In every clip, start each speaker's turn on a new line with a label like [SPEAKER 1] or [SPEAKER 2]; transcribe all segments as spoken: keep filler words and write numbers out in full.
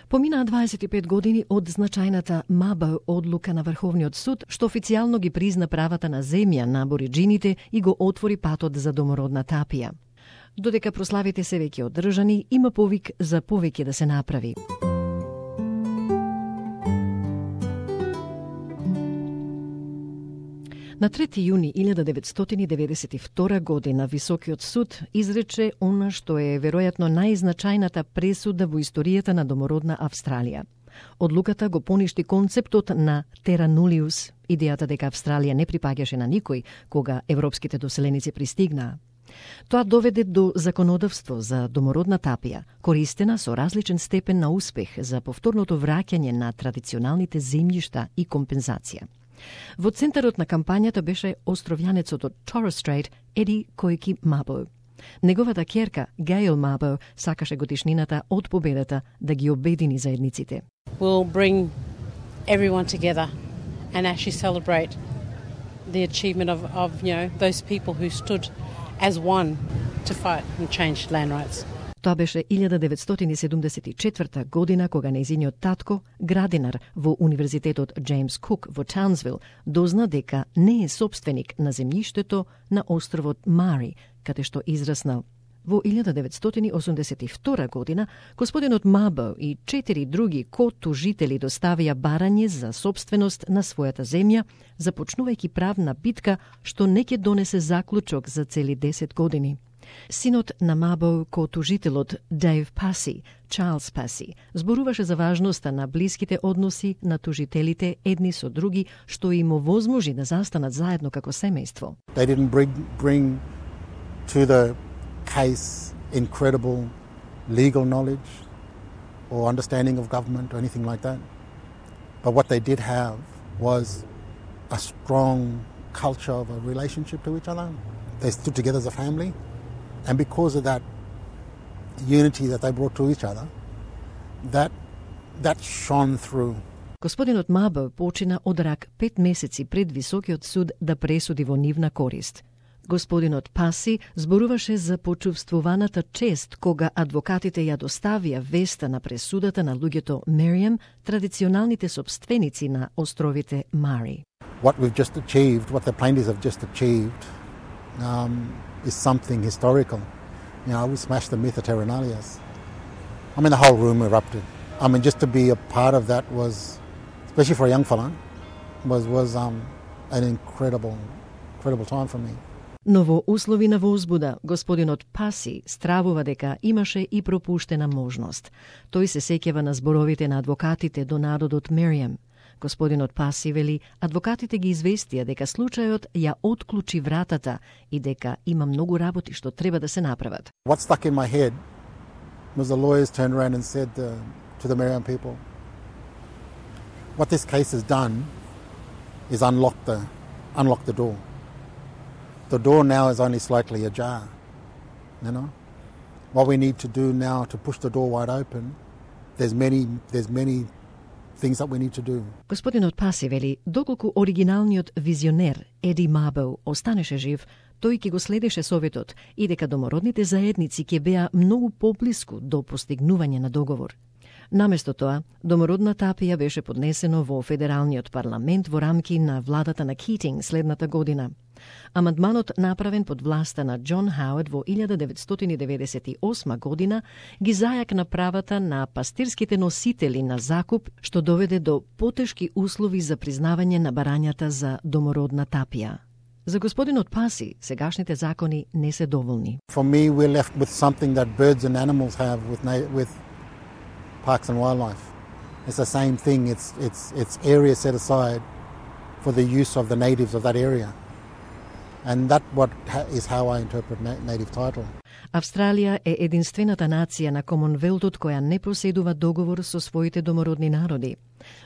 [SPEAKER 1] Поминаа дваесет и пет години од значајната Mabo одлука на Врховниот суд, што официјално ги призна правата на земја на абориџините и го отвори патот за домородна тапија. Додека прославите се веќе одржани, има повик за повеќе да се направи. На трети јуни илјада деветстотини деветдесет и втора година Високиот суд изрече она што е веројатно најзначајната пресуда во историјата на домородна Австралија. Одлуката го поништи концептот на terra nullius, идејата дека Австралија не припаѓаше на никој кога европските доселеници пристигнаа. Тоа доведе до законодавство за домородна тапија, користена со различен степен на успех за повторното враќање на традиционалните земјишта и компензација. Во центарот на кампањата беше островјанецот од Torres Strait Еди Којки Mabo. Неговата ќерка, Gail Mabo, сакаше годишнината од победата да ги обедини заедниците.
[SPEAKER 2] We'll bring everyone together and actually celebrate the achievement of, of you know, those people who stood as one to fight and change land rights.
[SPEAKER 1] Тоа беше илјада деветстотини седумдесет и четврта година кога нејзиниот татко, градинар во Универзитетот Джеймс Кук во Таунсвил, дозна дека не е собственик на земјиштето на островот Мари, каде што израснал. Во илјада деветстотини осумдесет и втора година, господинот Mabo и четири други ко-тужители доставија барање за собственост на својата земја, започнувајќи правна битка што не ќе донесе заклучок за цели десет години. Синот на Mabo, ко-тужителот Дейв Паси, Чарлс Паси, зборуваше за важноста на блиските односи на тужителите едни со други, што им овозможи да застанат заедно како семејство.
[SPEAKER 3] They didn't bring, bring to the case incredible legal knowledge or understanding of government or anything like that. But what they did have was a strong culture of a relationship to each other. They stood together as a family. And because of that unity that they brought to each other, that that shone through.
[SPEAKER 1] Господинот Mabo почина од рак пет месеци пред Високиот суд да пресуди во нивна корист. Господинот Паси зборуваше за почувствуваната чест кога адвокатите ја доставија веста на пресудата на луѓето Мерием, традиционалните собственици на островите Мари.
[SPEAKER 3] What we've just achieved, what the plaintiffs have just achieved, um, is something historical. You know, we smashed the myth of terra nullius. I mean, the whole room erupted. I mean, just to be a part of that was, especially for a young fella, was was um, an incredible, incredible time for me.
[SPEAKER 1] Но во услови на возбуда, господинот Паси стравува дека имаше и пропуштена можност. Тој се сеќава на зборовите на адвокатите до народот Мерием. Господинот Паси вели, адвокатите ги известија дека случајот ја отклучи вратата и дека има многу работи што треба да се направат.
[SPEAKER 3] What stuck in my head was the lawyers turned around and said uh, to the Meriam people, what this case has done is unlock the, unlock the door. The door now is only slightly ajar, you know. What we need to do now to push the door wide open, there's many, there's many things that we need to do.
[SPEAKER 1] Господинот Паси вели, доколку оригиналниот визионер Еди Mabo останеше жив, тој ќе го следеше советот и дека домородните заедници ќе беа многу поблиску до постигнување на договор. Наместо тоа, домородна тапија беше поднесено во федералниот парламент во рамки на владата на Китинг следната година. Амандманот направен под власта на Џон Хауард во илјада деветстотини деветдесет и осма година ги зајакна правата на пастирските носители на закуп, што доведе до потешки услови за признавање на барањата за домородна тапија. За господинот Паси, сегашните закони не се доволни.
[SPEAKER 3] For me, we're left with something that birds and animals have with na- with parks and wildlife. It's the same thing. It's it's it's area set aside for the use of the natives of that area. And that what ha- is how I interpret na- native title.
[SPEAKER 1] Австралија е единствената нација на Комонвелтот која не поседува договор со своите домородни народи.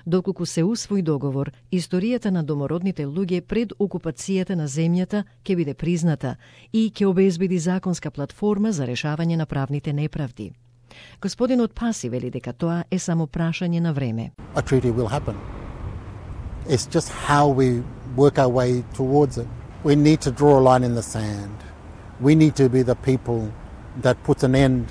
[SPEAKER 1] Доколку се усвои договор, историјата на домородните луѓе пред окупацијата на земјата ќе биде призната и ќе обезбеди законска платформа за решавање на правните неправди. Господинот Паси вели дека тоа е само прашање на време.
[SPEAKER 3] A treaty will happen. It's just how we work our way towards it. We need to draw a line in the sand. We need to be the people that put an end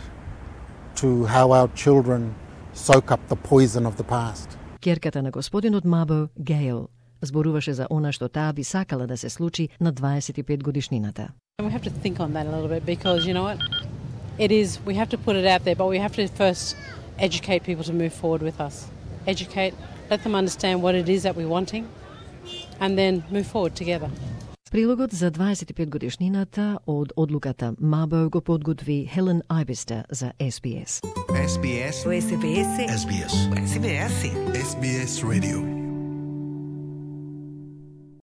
[SPEAKER 3] to how our children soak up the poison of the past.
[SPEAKER 1] Ќерката на господинот Мабо, Гейл, зборуваше за она што таа би сакала да се случи на дваесет и пет годишнината.
[SPEAKER 2] And we have to think on that a little bit because, you know what, it is, we have to put it out there, but we have to first educate people to move forward with us. Educate, let them understand what it is that we're wanting, and then move forward together.
[SPEAKER 1] Прилогот за дваесет и пет годишнината од одлуката Мабо го подготви Хелен Айбиста за Ес Би Ес.
[SPEAKER 4] Ес Би Ес.
[SPEAKER 5] Ес Би Ес.
[SPEAKER 4] Ес Би Ес.
[SPEAKER 5] Ес Би Ес.
[SPEAKER 4] Ес Би Ес Radio.